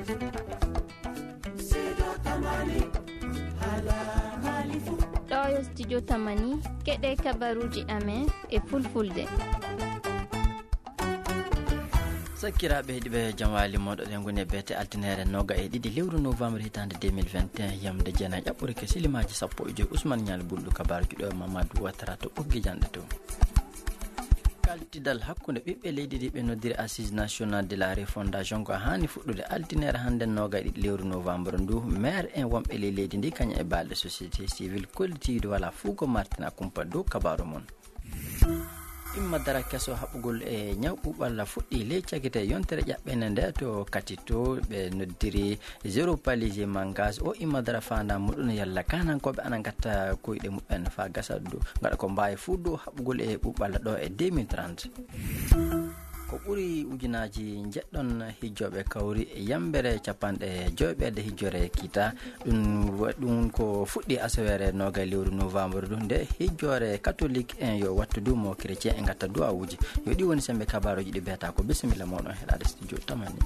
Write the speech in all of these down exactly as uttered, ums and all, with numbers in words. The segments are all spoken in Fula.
Ɗo yo studio Tamani, keɗe kabaruji amen e fulfulde. Sakkiraaɓe heɗiiɓe, jam waali moɗo ɗen ngoni e beete altinere noga e ɗiɗi lewru novembre hitande deux mille vingt et un, yamde jeenayi ƴaɓɓorike silimaji sappo e joyi. Ousmane Nial Bulɗo, kabaruji ɗo e Mamadou Ouattara to ɓoggi janɗe to. Kaltidal hakkunde ɓiɓɓe leydi ndi ɓe noddiri Assise Nationale de la Refondation ko haani fuɗɗude altinere hannde noga e ɗiɗi lewru novembre ndu. Maire en wonɓe ley leydi ndi kañum e balɗe société civile kollitiiɗo wala fuu ko martina kumpa dow kabaru mum. Imma dara keso haɓugol e ñaw ɓuɓalla fuɗɗi ley cagite yontere ƴaɓɓende nde to Katito ɓe noddiri Zéro Palaisie Mangas. O imma dara fanda muɗum yalla kanankooɓe ana gatta koyɗe muɓɓen fa gasa du gaɗa ko mbawi fuu dow haɓugol e ɓuɓalla ɗo e deux mille trente. Ko ɓuri ujunaji njeɗɗon hijjoɓe kawri e yambere capanɗe joyɓerde hijjore kita. Ɗum wa-, ɗum ko fuɗɗi asawere noga lewru novembre du nde hijjore catholique en yo wattu du mo chrétien e gatta duwawuji. Yo ɗi woni sembe kabaruji ɗi beeta ko. Bisimilla moɗon heɗade studio Tamani.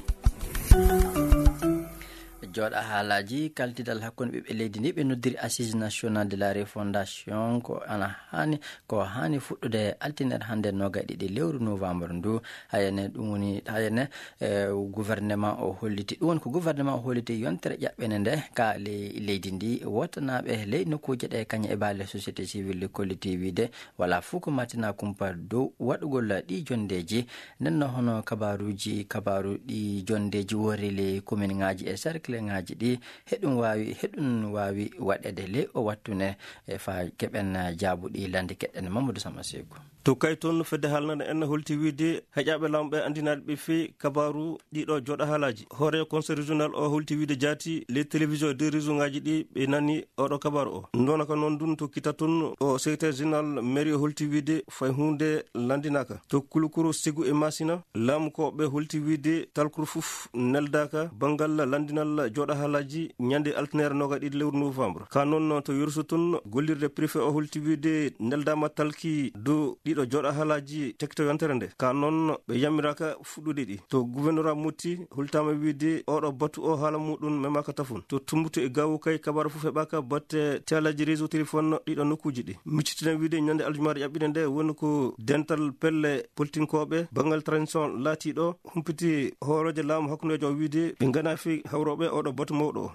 Jooɗa haalaji kaltidal hakkunde ɓiɓɓe leydi ndi ɓe noddiri Assise Nationale de la Refondation ko ana hani, ko hani fuɗɗude altinere hannde noga e ɗiɗi lewru novembre ndu. Hayane ɗum woni, hayane, eh, gouvernement o holliti, ɗum woni ko gouvernement o holliti yontere ƴaɓɓende nde ka ley leydi ndi, wotanaɓe ley nokkuuje ɗe kañum e baale société civile kolliti wiide wala fuu ko martina kumpa dow waɗugol ɗi jondeji. Nden no hono kabaruji, kabaru ɗi jondeji worri ley commune ngaji e cercle ngaji ɗi, heɗum wawi, heɗum wawi waɗede ley o wattu ne, e fa keɓen jaabuɗi lande keɗen Mamadou Sama Seku. To kay toon fedde haalnana en holti wiide heƴaɓe laamu ɓe anndinaade ɓe fii kabaaru ɗiɗo jooɗa haalaji. Hoore conseil régional o holti wiide jaati les télévisions de région ngaji ɗi ɓe nani oɗo kabaaru o. Ndona ka noon dun to kita tun o secrétaire général mairie o holti wiide fay huunde lanndinaaka. To Kulukuru, Segu e Masina, laamu ko ɓe holti wiide talkuru fuf neldaka banngal lanndinal jooɗa haalaji ñande altinere noga ɗiɗi lewru novembre. Ka noon to Yoroso tun gollirde préfet o holti wiide neldama talki dow ɗiɗo jooɗa haalaji tekto yontere nde. Ka noon ɓe yammiraka fuɗɗude ɗi. To gouvernorat Motti holtama wiide oɗo batu o haala muɗum memaka tafun. To Tumbutu e Gawo kay kabaaru fof heɓaka batte telaji réseau téléphone ɗiɗo nokkuji ɗi. Miccitina wiide ñande aljumaare ƴaɓɓinde nde woni ko dental pelle politinkoɓe banngal transition laatiɗo humpiti hooroje laamu hakkundejo o wiide ɓe ngana fi hawroɓe oɗo batu mawɗo o.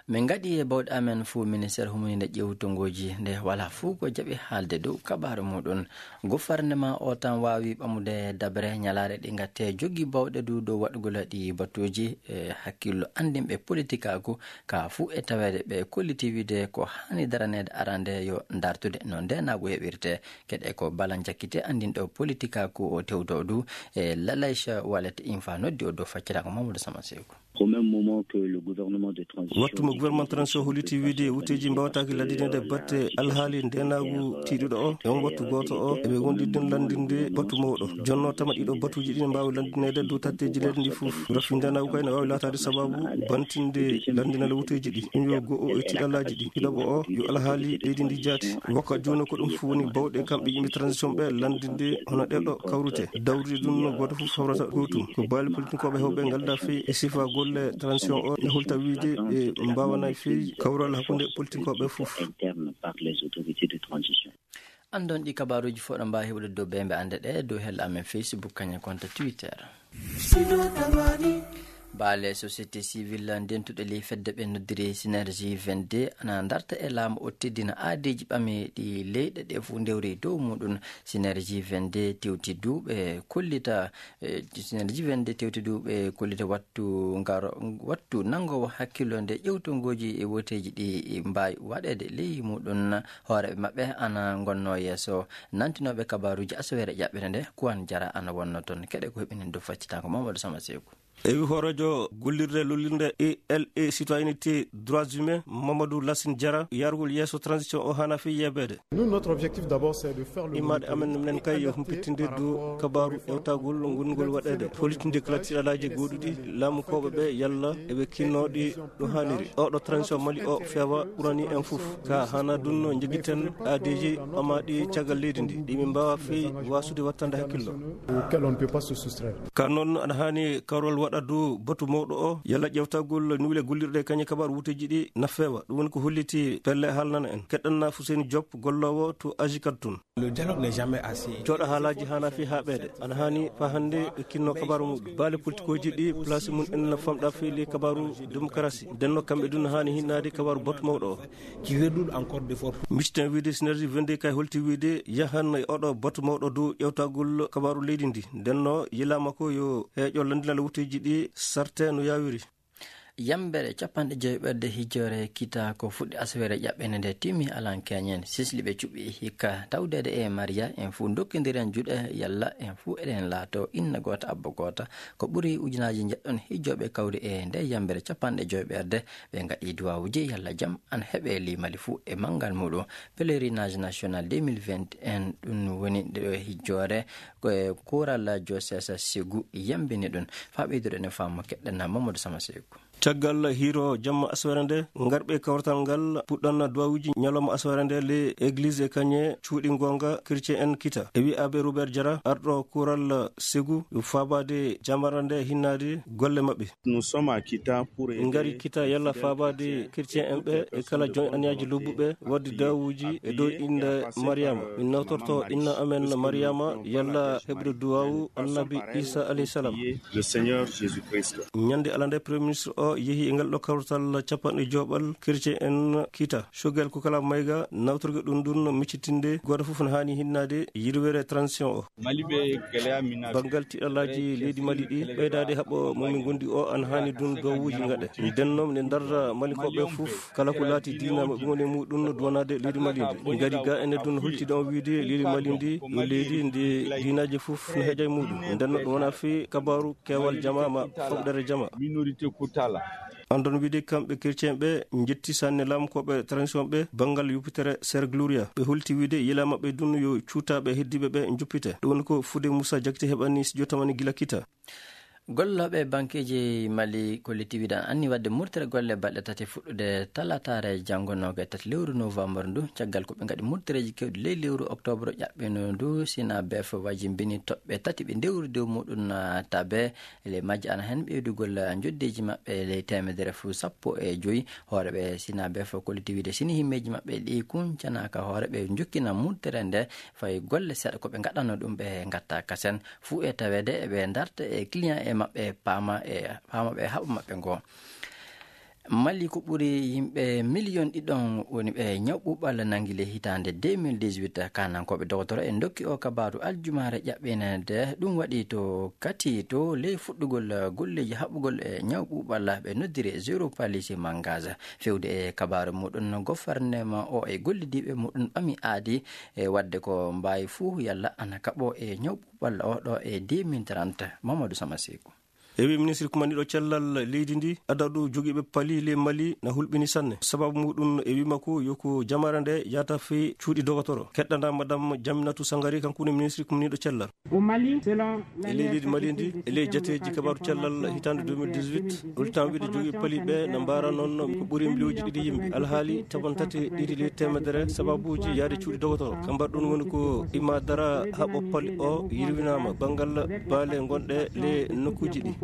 Min ngaɗi e bawɗe amen fuu ministère humininde ƴewtongoji nde wala fuu ko jaɓi haalde dow kabaaru muɗum. Gouvernement o tan waawi ɓamude dabre ñalaare ɗi ngatte jogi bawɗe du dow waɗugol ɗi batuji e hakkillo anndinɓe politikaaku ka fuu e taweede ɓe kolliti wiide ko haani daraneede arande yo dartude no ndeenaagu heɓirte. Keɗe ko Bala Jakkite anndinɗo politikaaku o tewdo du e Lalaycha Wallet Infa noddi o dow facciraango Mamadou Sama Seku. Au même moment que le gouvernement de transition Wattu mo gouvernement transition holliti wiide wuteji mbawataake laddinede batte alhaali ndenaagu tiiɗuɗo o, e on wattu gooto o, eɓe wonɗi den lanndinde batu mawɗo. Jonno tama ɗiɗo batuji ɗi ne mbaawi lanndinede dow tatteji leydi ndi fof. Rafi ndenaagu kay ne waawi laataade sababu bantinde lanndinal wuteji ɗi. Ɗum yo go'o e tiiɗalaaji ɗi. Ɗiɗaɓo o, yo alhaali leydi ndi jaati. Wakka jooni ko ɗum fof woni bawɗe kamɓe yimɓe transition ɓe lanndinde hono ɗeɗo kawrute. Dawrude ɗum no gooto fof fawrata gootum. Ko baali politikoɓe hewɓe ngalda fii e sifa golle transition o ne hulta wiide ɓe mbawanay fii kawral hakkunde politikoɓe fof. Interne par les autorités de transition. Andon ɗi kabaruji fof ɗo mbawi heɓude dow bembe ande ɗe dow hella amen Facebook kañum konto Twitter. Baale société civile ndentuɗe ley fedde ɓe noddiri Synergie vingt-deux ana darta e laamu o teddina aadeji ɓame ɗi leyɗe ɗe fof ndewri dow muɗum. Synergie vingt-deux tewti duuɓe kollita, eh, Synergie vingt-deux tewti duuɓe kollita wattu ngaro, wattu nangowo hakkillo nde ƴewtongoji e woteji ɗi mbawi waɗede ley muɗum. Hooreɓe maɓɓe ana ngonno yeeso nantinoɓe kabaruji asawere ƴaɓɓere nde. Kuwan Jara ana wonno toon. Keɗe ko heɓinen dow faccitango Mamadou Sama Seku. Ewi hoorejo gollirde lollirde E L A citoyenneté droits humains Mamadou Lassine Diarra yargol yeeso transition o hana fi yeɓede. Nous, notre objectif d'abord, c'est de faire le Imaɗe amen minen kay yo humpitinde dow kabaru ewtagol ngol ngol waɗede. Holitinde kala tiɗalaji goɗuɗi laamu koɓe ɓe yalla eɓe kinnoɗi no haniri. Oɗo transition Mali o fewa ɓurani en fof. Ka hana dunno jogiten aadeji amaɗi caggal leydi ndi. Ɗi min mbawa fi wasude wattande hakkillo. Auquel on ne peut pas se soustraire. Ka noon aɗa hani karol Ɗaddu batu mawɗo o, yalla ƴeewtagol niwle gollirɗe kañe kabaaru wuteeji ɗi na feewa. Ɗum woni ko holliti pelle haalnana en. Keɗɗanna Fuseni Diop, golloowo to Agicat tun. Jooɗa haalaaji haana fii haaɓeede. Ana haani faa hannde ɓe kinno kabaaru muɗum. Baale politikooji ɗi place mum en na famɗa fii ley kabaaru demokarasi. Ndenno kamɓe dun haani hinnaade kabaaru batu mawɗo o. Micciten wiide Synergie vingt-deux kay holti wiide yahan e oɗo batu mawɗo dow ƴeewtagol kabaaru leydi ndi. Ndenno yilaama ko yo heeƴo landinal wuteeji ɗi sarte no yaawiri. Yambere capanɗe joyi ɓerde hijjoore kita ko fuɗɗi asawere ƴaɓɓende nde timmi alan keñen. Sisli ɓe cuɓi hikka tawdeede e Maria en fuu dokkindiren juuɗe yalla en fuu eɗen laato inna goota abba goota. Ko ɓuri ujunaaji njeɗɗon hijjooɓe kawri e nde yambere capanɗe joyi ɓerde. Ɓe ngaɗi duwawuji yalla jam an heɓe limali fuu e manngal muɗum. Pèlerinage national deux mille vingt et un, ɗum woni nde hijjoore ko e kuural Josesa Segu yambini ɗum. Faa ɓeydude ne faamu keɗɗana Mamadou Sama Segu. Caggal hiiro jamma asawere nde, ngarɓe kawrital ngal puɗɗanna duwawuji ñalawma asawere nde le église e kañe cuuɗi ngonga chrétien en kita. E wi'aaɓe Robert Diarra, arɗo kuural Segu, yo faabaade jamara nde hinnaade golle maɓɓe. Nous sommes à Kita pour aider Ngari kita yalla faabaade chrétien en ɓe e kala joñ aniyaaji lobbuɓe wadde dawuji e dow innde Mariama. Min nawtorto inna amen Mariama yalla heɓude duwawu annabi Isa alayhi salam. Le Seigneur Jésus-Christ. Ñande alande Premier Ministre o yehi e ngal ɗo kawrital capanɗe joɓal chrétien en kita. Shogel ko kala mayga nawtorge ɗum ɗum miccitinde gooto fof ne haani hinnaade yirwere transition o. Mali ɓe geleya mina. Banngal tiɗalaaji leydi Mali ɗi, ɓeydaade haɓo mo min ngondi o, an haani ɗum dowuuji ngaɗe. Ndenno ne ndarra Malikoɓe fof, kala ko laati diina maɓɓe woni e muɗum no duwanaade leydi Mali ndi. Ngari ga ene ɗum holtida on wiide leydi Mali ndi, yo leydi ndi diinaaji fof no heeƴa e muɗum. Ndenno ɗum wona fii kabaaru keewal jama ma foɓɗere jama. Minorité kutala. Andon wiide kamɓe chrétien ɓe njetti sanne laamkooɓe transition ɓe banngal yuppitere Ser Gloria. Ɓe holti wiide yila maɓɓe ɗum yo cuutaaɓe heddiiɓe ɓe njuppite. Ɗum woni ko Fude Moussa Diakité heɓani studio tamani gila kita. Gollooɓe bankeeji Mali kolliti wiide anni waɗde murtere golle balɗe tati fuɗɗude talataare janngo noogaye tati lewru novembre ndu, caggal ko ɓe ngaɗi murtereeji keewɗi ley lewru octobre ƴaɓɓino ndu. Sina bef wajimbini toɓɓe tati ɓe ndewri dow muɗum tabe. E ley majje ana heen ɓeydugol njoddeeji maɓɓe ley teemedere fuu sappo e joyi. Hooreeɓe Sina bef kolliti wiide sini himmeeji maɓɓe ɗi kuncanaaka hoore ɓe njokkina murtere nde fay golle seeɗa ko ɓe ngaɗano ɗum ɓe ngatta kasen fuu e taweede eɓe ndarta e client e maɓɓe paama e paama ɓe haɓa maɓɓe ngo. Mali ko ɓuri yimɓe miliyon ɗiɗon woni ɓe ñaw ɓuuɓal nangi le hitaande deux mille dix-huit. Kanankooɓe dogotoro e ndokki o kabaaru aljumaare ƴaɓɓineede ɗum waɗi to kati to ley fuɗɗugol golleeji haɓugol e ñaw ɓuuɓal ɓe noddiri zéro palisi mangage. Fewde e kabaaru muɗum gofarnema o e gollidiiɓe muɗum ɓami aadi e waɗde ko mbaawi fuu yalla ana kaɓo e ñaw ɓuuɓal o ɗo e deux mille trente. Mamadou Sama Seku. E wi ministre kumandiɗo cellal leydi ndi, adadu jogiiɓe pali ley Mali na hulɓini sanne. Sababu muɗum e wi makko yo ko jamare nde yata fii cuuɗi dogotoro. Keɗɗana madame Jaminatu Sangari, kanko woni ministre kumandiɗo cellal. E ley leydi Mali ndi, e ley jateeji kabaaru cellal hitaande deux mille dix-huit, hollitam wiide jogiiɓe pali ɓe na mbaara noon ko ɓuri miliyonji ɗiɗi yimɓe. Alhaali capanɗe tati ɗiɗi ley teemedere sababuuji yahde cuuɗi dogotoro. Ka mbaɗɗun woni ko imadara haɓo pali o yirwinaama banngal baale ngonɗe ley nokkuuji ɗi.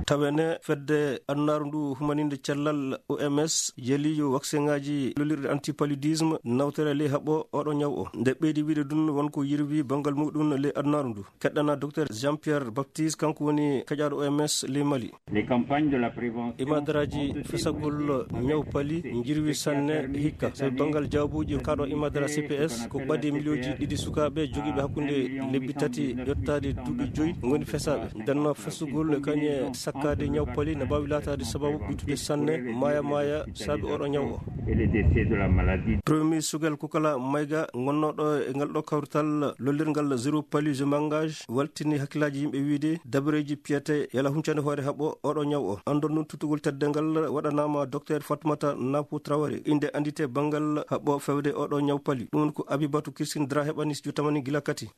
Tawene fedde adunaaru ndu humaninde cellal O M S yeli yo waksenŋaaji lollirɗi antipaludisme nawtere ley haɓo oɗo ñaw o. Nde ɓeydi wiide ɗum won ko yirwi banngal muɗum ley adunaaru ndu. Keɗɗana Docteur Jean-Pierre Baptiste, kanko woni kaƴaaɗo O M S ley Mali. Les campagnes de la prévention. Imadaraaji fesagol ñaw pali njirwi sanne hikka. Sabi banngal jawbuuji kaaɗo imadara C P S ko ɓadii miliyonji ɗiɗi sukaaɓe jogiiɓe hakkunde lebbi tati yottaade duuɓi joyi ngoni fesaaɓe. Ndenno fesugol e kañe sakkaade ñaw pali na mbaawi laataade sababu ɓittude sanne maaya maaya saabi oɗo ñaw o. Et le décès de la maladie. Premier ministre Sogel Kokala Mayga, gonnooɗo e ngal ɗo kawrital lollirngal zéro paludisme mangage, waltini hakkillaaji yimɓe wiide dabareeji piyete yala huncande hoore haɓo oɗo ñaw o. Andon ɗum tuttugol teddeengal waɗanaama Docteur Fatoumata Napo Traoré, innde anndite banngal haɓo fewde oɗo ñaw pali. Ɗum ko Abibatu Christine Dra heɓani studio tamani gila kati.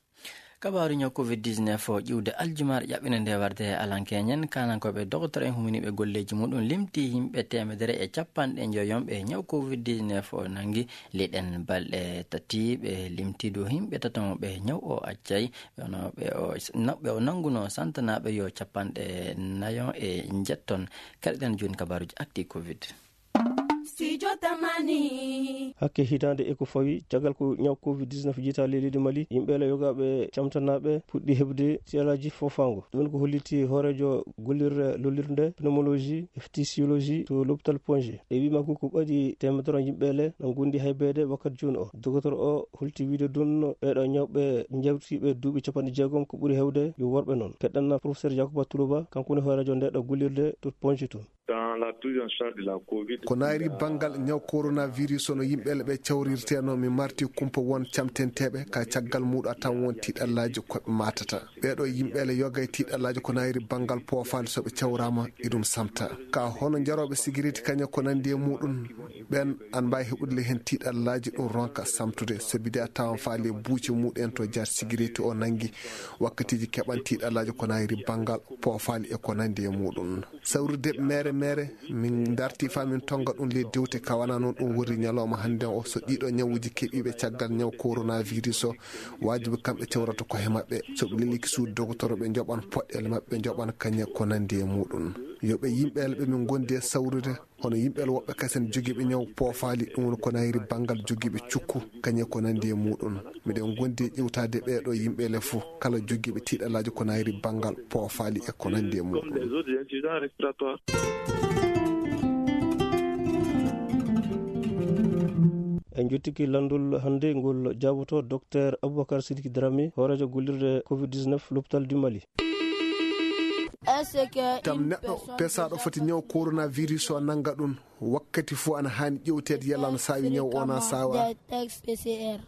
Kabaaru ñaw covid dix-neuf o ƴiwde aljumaare ƴaɓɓinde nde warde e Alan Keñen, kaanankooɓe doktor en huminiiɓe golleeji muɗum limti yimɓe teemedere e capanɗe njoyo ɓe ñaw covid dix-neuf o nanngi. Leyɗen balɗe tati ɓe limti dow yimɓe tato ɓe ñaw o accay. Ɓe ono ɓe o, ɓe o nannguno santanaaɓe yo capanɗe nayo e njetton. Keɗoɗen jooni kabaaruuji actu covid. Studio Tamani. Hakke hitaande e ko fawi caggal ko ñaw covid dix-neuf jeyta leydi Mali, yimɓe le yogaaɓe camtanaaɓe puɗɗi heɓde siyalaaji foofaango. Ɗum ko holliti hooreejo gollirde lollirde pneumologie e phtisiologie to l'hôpital Ponge. E wii makko ko ɓadi teemedere yimɓe le na ngondi haybeede wakkati jooni o. Docteur o holti wiide ɗum ɓeeɗo ñawɓe jewtiiɓe duuɓi capanɗe jeegom ko ɓuri heewde yo worɓe noon. Keɗɗen professeur Yakuba Tuluba, kanko woni hooreejo ndeeɗo gollirde to Ponge to. Dans la prise en charge de la covid. Ko naayri banngal ñaw coronavirus o no yimɓe le ɓe cawrirteno, mi marti kumpa won camtenteeɓe ka caggal muɗum a tan won tiiɗallaaji ko ɓe matata. Ɓeeɗo yimɓe le yoga e tiiɗallaaji ko naayri banngal poofaali so ɓe cawraama iɗum samta. Ka hono jarooɓe sigiriti kañe ko nandi e muɗum ɓen an mbaawi heɓude le heen tiiɗallaaji ɗum ronka samtude sabi de a tawan faali e buuce muɗum en to jar sigiriti o nangi wakkatiji keɓan tiiɗallaaji ko naayri banngal poofaali e ko nandi e muɗum. Sawrude mere mere, min darti fa min tonga ɗum ley dewte ka wana noon ɗum woni ñalawma hannde o. So ɗiɗo ñawuji keɓiiɓe caggal ñaw coronavirus o, waajibi kamɓe cewrata koye maɓɓe. So ɓe leliki suudu dogotoro ɓe njoɓan poɗɗeele maɓɓe, ɓe njoɓan kañe ko nandi e muɗum. Yo ɓe yimɓe ɓe min gondi e sawrude, hono yimɓe woɓɓe kasen jogiiɓe ñaw poofaali, ɗum woni ko nayri banngal jogiiɓe cukku, kañe ko nandi e muɗum. Miɗen gondi e ƴewtaade ɓeeɗo yimɓe le fof, kala jogiiɓe tiiɗalaaji ko nayri banngal poofaali e ko nandi e muɗum. En jottiki lanndol hannde ngol jaaboto Docteur Aboubacar Sidiki Dramé, hooreejo gollirde covid dix-neuf, l'hôpital du Mali. Tam neɗɗo pesaaɗo foti ñaw coronavirus o nannga ɗum, wakkati fof ana haani ƴewteede yalla ana saawi ñaw o na saawa.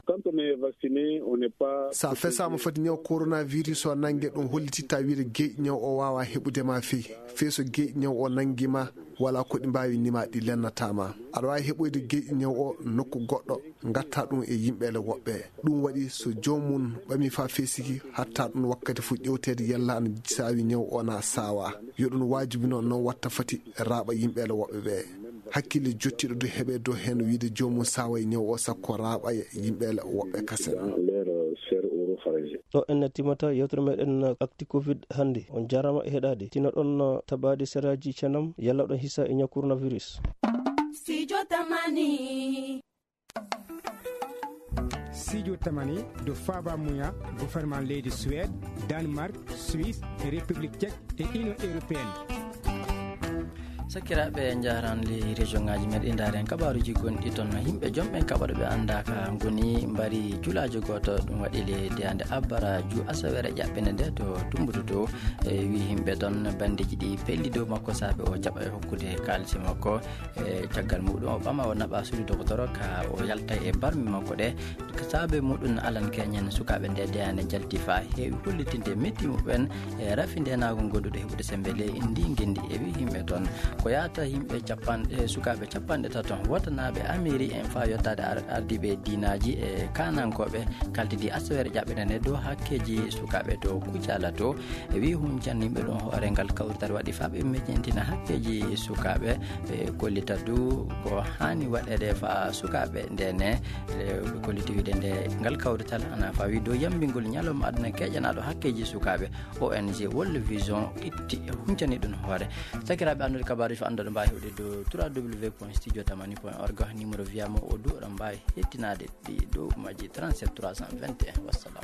Quand on est vacciné, on n'est pas. So a fesaama foti ñaw coronavirus o nannge, ɗum hollititta wiide geyɗi ñaw o waawa heɓude ma fey. Fey so geyɗi ñaw o nanngi ma, wala ko ɗi mbaawi nima ɗi lennata ma. Aɗa waawi heɓoyde geyɗi ñaw o nokku goɗɗo, ngatta ɗum e yimɓe le woɓɓe. Ɗum waɗi so joomum ɓami fa fesiki, hatta ɗum wakkati fof ƴewteede yalla ana saawi ñaw o na saawa. Yo ɗum waajibi noon, noon watta foti raaɓa yimɓe le woɓɓe ɓe. Hakkille jottiiɗo du heɓe dow heen wiide joomum saaway ñaw o sakko raaɓa yimɓe le woɓɓe kasen. Dans leur sphère oropharyngée. Ɗo en timata yewtere meɗen actu covid hannde. On jarama e heɗaade. Tino ɗon tabaade seraaji cenam yalla ɗon hisa e ñaw coronavirus. Studio Tamani. Studio Tamani do faaba muya gouvernement leydi Suède, Danemark, Suisse, République Tchèque et Union Européenne. Sakiraaɓe, njaran ley région ngaji meɗen, ndaaren kabaaruji gonɗi toon. Yimɓe jom ɓen kaɓaɗo ɓe annda ka ngoni mbari julaajo gooto, ɗum waɗi le diyande abbara ju asawere ƴaɓɓende nde to Tumbutu to. E wi yimɓe toon bandeji ɗi pelli dow makko saabe o jaɓa e hokkude kaalisi makko. E caggal muɗum o ɓama o naɓa suudu dogotoro ka o yalta e barmi makko ɗe. Saabe muɗum Alan Keñen sukaaɓe nde deyande jalti fa heewi hollitinde metti muɓɓen e rafi ndenaagu gonduɗo heɓude sembe ley ndi ngendi. E wi yimɓe toon ko yaata yimɓe capanɗe, sukaaɓe capanɗe tato wotanaaɓe Ameri en fa yottaade ar-, ardiiɓe diinaaji e kaanankooɓe kaltidi asawere ƴaɓɓende nde dow hakkeeji sukaaɓe to Kucala to. E wi huncanniɓe ɗum hoore ngal kawrital waɗi fa ɓe meƴƴintina hakkeeji sukaaɓe. Ɓe kollita du ko haani waɗeede fa sukaaɓe ndene. E ɓe kolliti wiide nde ngal kawrital ana fawi dow yambingol ñalawma aduna keƴanaɗo hakkeeji sukaaɓe. O N G World Vision itti e huncani ɗum hoore. Sakiraaɓe, anndude kabaaruji fof anndude mbaawi heɓde dow trois W point studio tamani point org, numéro wiyama o du, oɗon mbaawi hettinaade ɗi dow majji trente-sept trois cent vingt et un. Wassalam.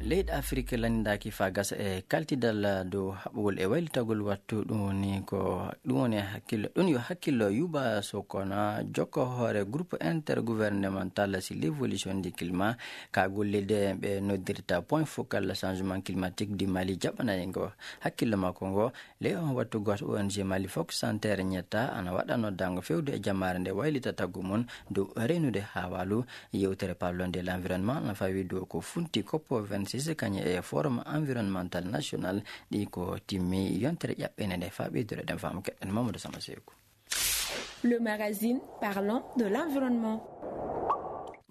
Leyɗe Afiriki lanndaaki faa gasa e kaltidal dow haɓugol e waylitagol wattu. Ɗum woni ko, ɗum woni e hakkillo, ɗum yo hakkillo Yuba Sokona, jokko hoore groupe intergouvernemental sur l'évolution du climat, ka gollirde ɓe noddirta Point Focal Changement Climatique du Mali, jaɓɓanaygo hakkillo makko ngo. Ley on wattu gooto, O N G Mali Fox Center Ñetta ana waɗa noddaango fewde e jamaare nde waylita tagu mum dow reenude haawaalu. Yewtere Parlons de l'environnement ana fawi dow ko funti COP vingt-six kañum e Forum Environnemental National ɗi ko timmi yontere ƴaɓɓende nde. Faa ɓeydude ɗen faamu keɗen Mamadou Sama Seeku. Le magazine parlant de l'environnement.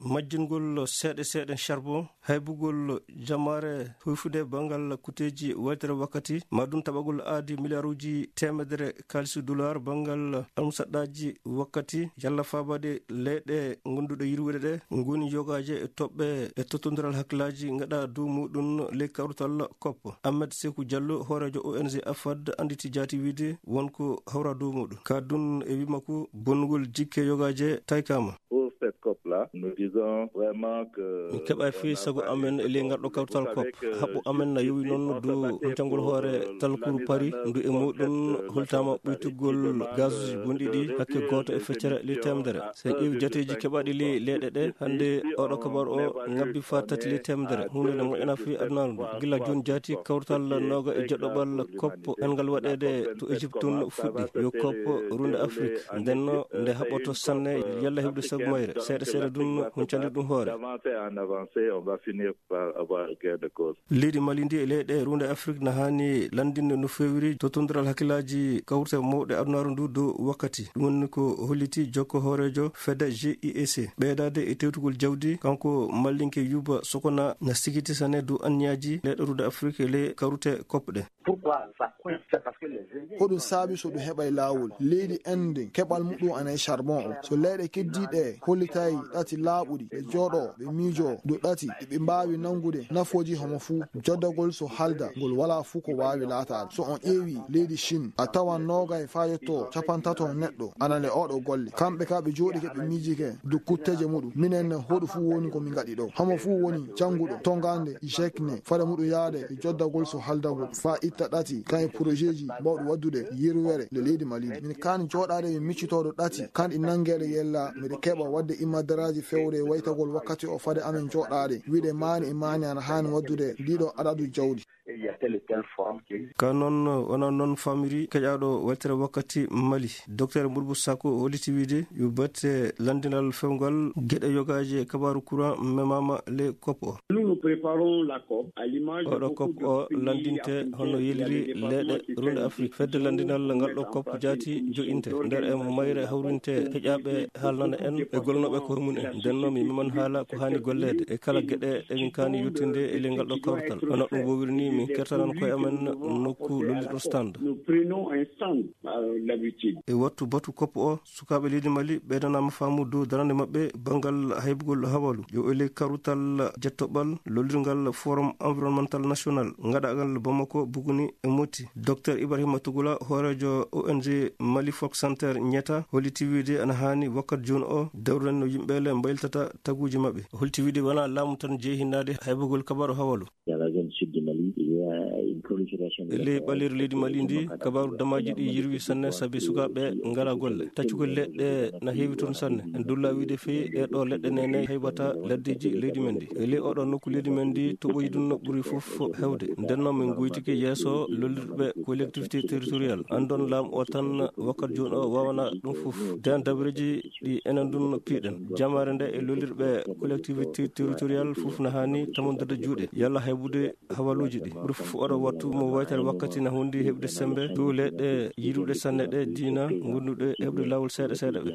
Majjingol seeɗa seeɗa charbon, haybugol jamaare, huyfude banngal kuteeji waytere wakkati, ma ɗum taɓagol aadi miliyaaruuji teemedere kaalisi dollar banngal almusaɗɗaaji wakkati, yalla faabaade leyɗe gonduɗe yirwude ɗe ngoni yogaaje e toɓɓe e tottondiral hakkillaaji ngaɗa dow muɗum ley kawrital COP. Ahmed Sekou Diallo, hooreejo O N G AFAD, annditi jaati wiide won ko hawra dow muɗum. Ka ɗum e wi makko, bonnugol jikke yogaaje taykaama. Pour cette COP là, nous disons vraiment que min keɓa fii sago amen e ley ngal ɗo kawtal COP. Haɓɓo amen na yowi noon dow huntangol hoore talkuru Paris, ndu e muɗum holtaama ɓuytugol gazuuji bonɗi ɗi hakke gooto e feccere ley teemedere. So en ƴeewi jateeji keɓaaɗi ley leyɗe ɗe, hannde oɗo kabaru o ngabbi faa tati ley teemedere. Huunde nde moƴƴana fii adunaaru ndu. Gila jooni jaati kawtal nooga e jeɗɗoɓal COP en ngal waɗeede to Égypte tun fuɗɗi. Yo COP runde Afrique. Ndenno nde haɓɓoto sanne yalla heɓde sago mayre. Seeɗa seeɗa ɗum huncande ɗum hoore. D'avancer en avancer, on va finir par avoir gain de cause. Leydi Mali ndi e leyɗe runde Afrique na haani lanndinde no feewiri tottondiral hakkillaaji kawrite mawɗe adunaaru ndu dow wakkati. Ɗum woni ko holliti jokko hooreejo fedde G I E C. Ɓeydaade e tewtugol jawdi, kanko mallinke Yuba Sokona na sikiti sanne dow anniyaaji leyɗe runde Afrique e ley kawrite COP ɗe. Pourquoi ça coince? C'est parce que les Indiens... Ko ɗum saabi so ɗum heɓay laawol. Leydi Inde, keɓal muɗum ana e charbon o. So leyɗe keddiiɗe hollitay ɗati laaɓuɗi, ɓe jooɗo, ɓe miijo dow ɗati ɗi ɓe mbaawi nanngude nafooji homo fuu. Joddagol so halda, ngol walaa fuu ko waawi laataade. So on ƴeewi leydi Chine, a tawan noogay faa yetto capantato neɗɗo ana le oɗo golle. Kamɓe ka ɓe jooɗike, ɓe miijike dow kutteeje muɗum. Minen ne, hoɗo fuu woni ko min ngaɗi ɗo. Homo fuu woni jannguɗo, tonngande jekne, fade muɗum yaade e joddagol so haldagol, faa itta ɗati, kan e projetji mbawɗi waddude yirwere le leydi Mali ndi. Min kaani jooɗaade e miccitooɗo ɗati, kan ɗi nanngeede yella, miɗo keɓa waɗde imadaraaji fewre e waytagol wakkati o fade amen jooɗaade, wiide maani e maani ana haani waddude ndiɗo adadu jawdi. Et il y a tel et tel forum qui... Ka noon, wona noon famiri keƴaaɗo weltere wakkati Mali. Docteur Murbu Sako holliti wiide yo batte lanndinal fewngal geɗe yogaaje kabaaru courant memaama le COP o. Nous, nous préparons la COP à l'image de... Oɗo beaucoup COP de o pays lanndinte africains hono qui avaient yeliri commencé à faire leyɗe une runde Afrique. Fedde lanndinal ngal ɗo COP jaati joƴinte nder e mayre hawrinte heƴaaɓe haalnana en e golnooɓe koye mum en. Nden noon mi meman haala ko haani golleede e kala geɗe ɗe min kaani yettinde e ley ngal ɗo kawtal. Hono ɗum wowiri ni, min kertanan koye amen nokku lollirɗo stand. Nous prenons un stand, euh, d'habitude. E wattu batu COP o, sukaaɓe leydi Mali ɓeydanaama faamu dow darande maɓɓe banngal haybugol hawalu. Yo e ley karutal jettoɓal lollirngal Forum Environnemental National, ngaɗaagal Bamako, Buguni e Moti. Docteur Ibrahima Tugula, hooreejo O N G Mali Folk Center Ñeta, holliti wiide ana haani wakkat jooni o dawren no yimɓe le mbayltata taguuji maɓɓe. O holliti wiide wonaa laamu tan jeyi hinnaade haybugol kabaaru hawalu. Dans la zone sud du Mali, il y a une prolifération de... E ley ɓaleeri leydi Mali ndi, kabaaru damaaji ɗi yirwi sanne sabi sukaaɓe ngalaa golle. Taccugol leɗɗe na heewi toon sanne. En dulla wiide fii e ɗo leɗɗe nene haybata laddeeji leydi men ndi. E ley oɗo nokku leydi men ndi, toɓoyi ɗum no ɓuri fof hewde. Nden noon min goytike yeeso lollirɓe collectivité territorial. Anndon laamu o tan wakkat jooni o waawana ɗum fof. Den dabareeji ɗi enen ɗum piiɗen. Jamaare nde e lollirɓe collectivité territorial fof na haani tamondirde juuɗe. Yalla haybude hawaluuji ɗi. Ɓuri fof oɗo wattu mo waytere wakkati na hundi heɓde sembe dow leyɗe yiɗuɗe sanne ɗe diina, gonduɗe heɓde laawol seeɗa seeɗa ɓe.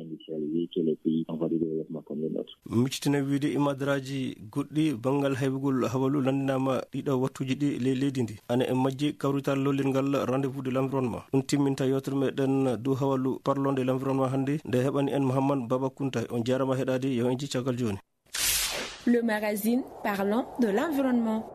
Miccitina wiide imadaraaji goɗɗi banngal haybugol hawalu lanndinaama ɗiɗo wattuuji ɗi ley leydi ndi. Ana e majji kawrital lollirngal Rendez-vous de l'environnement. Ɗum timminta yewtere meɗen dow hawalu parlons de l'environnement hannde. Nde heɓani en Mouhammad Baba Kunta. On jaarama heɗaade, yo en jii caggal jooni. Le magazine parlant de l'environnement.